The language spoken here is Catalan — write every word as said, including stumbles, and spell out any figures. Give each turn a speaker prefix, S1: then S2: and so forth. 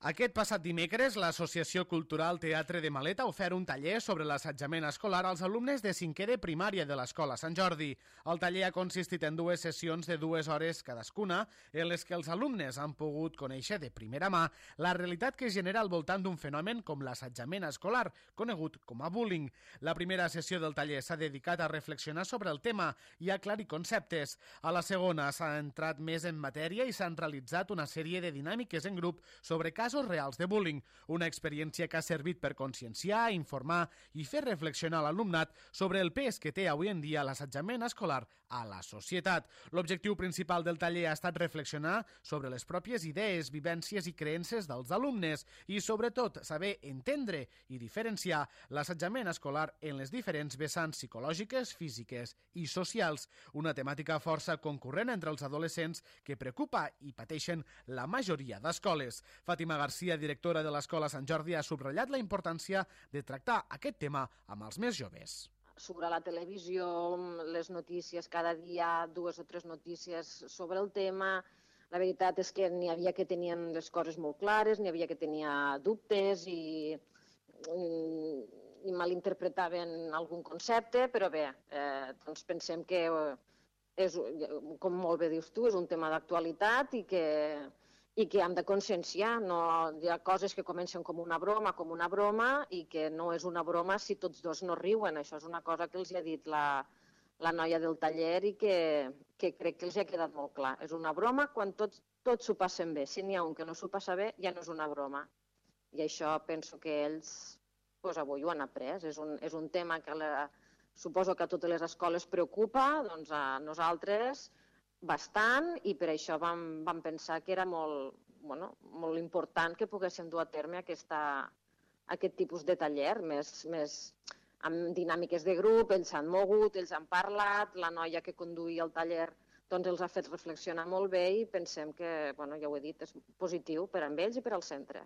S1: Aquest passat dimecres, l'Associació Cultural Teatre de Maleta ha ofert un taller sobre l'assetjament escolar als alumnes de cinquè de primària de l'Escola Sant Jordi. El taller ha consistit en dues sessions de dues hores cadascuna, en les que els alumnes han pogut conèixer de primera mà la realitat que es genera al voltant d'un fenomen com l'assetjament escolar, conegut com a bullying. La primera sessió del taller s'ha dedicat a reflexionar sobre el tema i a aclarir conceptes. A la segona s'ha entrat més en matèria i s'han realitzat una sèrie de dinàmiques en grup sobre casos reals de bullying, una experiència que ha servit per conscienciar, informar i fer reflexionar l'alumnat sobre el pes que té avui en dia l'assetjament escolar a la societat. L'objectiu principal del taller ha estat reflexionar sobre les pròpies idees, vivències i creences dels alumnes i, sobretot, saber entendre i diferenciar l'assetjament escolar en les diferents vessants psicològiques, físiques i socials, una temàtica força concurrent entre els adolescents que preocupa i pateixen la majoria d'escoles. Fàtima Garcia, directora de l'Escola Sant Jordi, ha subratllat la importància de tractar aquest tema amb els més joves.
S2: Sobre la televisió, les notícies, cada dia dues o tres notícies sobre el tema. La veritat és que n'hi havia que tenien les coses molt clares, n'hi havia que tenia dubtes i, i malinterpretaven algun concepte, però bé, eh, doncs pensem que, és, com molt bé dius tu, és un tema d'actualitat i que i que hem de conscienciar. No, hi ha coses que comencen com una broma, com una broma, i que no és una broma si tots dos no riuen. Això és una cosa que els ha dit la, la noia del taller i que, que crec que els ha quedat molt clar. És una broma quan tots, tots s'ho passen bé. Si n'hi ha un que no s'ho passa bé, ja no és una broma. I això penso que ells doncs, avui ho han après. És un, és un tema que la, suposo que a totes les escoles preocupa, doncs a nosaltres bastant, i per això vam, vam pensar que era molt, bueno, molt important que poguéssim dur a terme aquesta, aquest tipus de taller, més, més amb dinàmiques de grup. Ells s'han mogut, ells han parlat, la noia que conduïa el taller doncs els ha fet reflexionar molt bé i pensem que, bueno, ja ho he dit, és positiu per a ells i per al centre.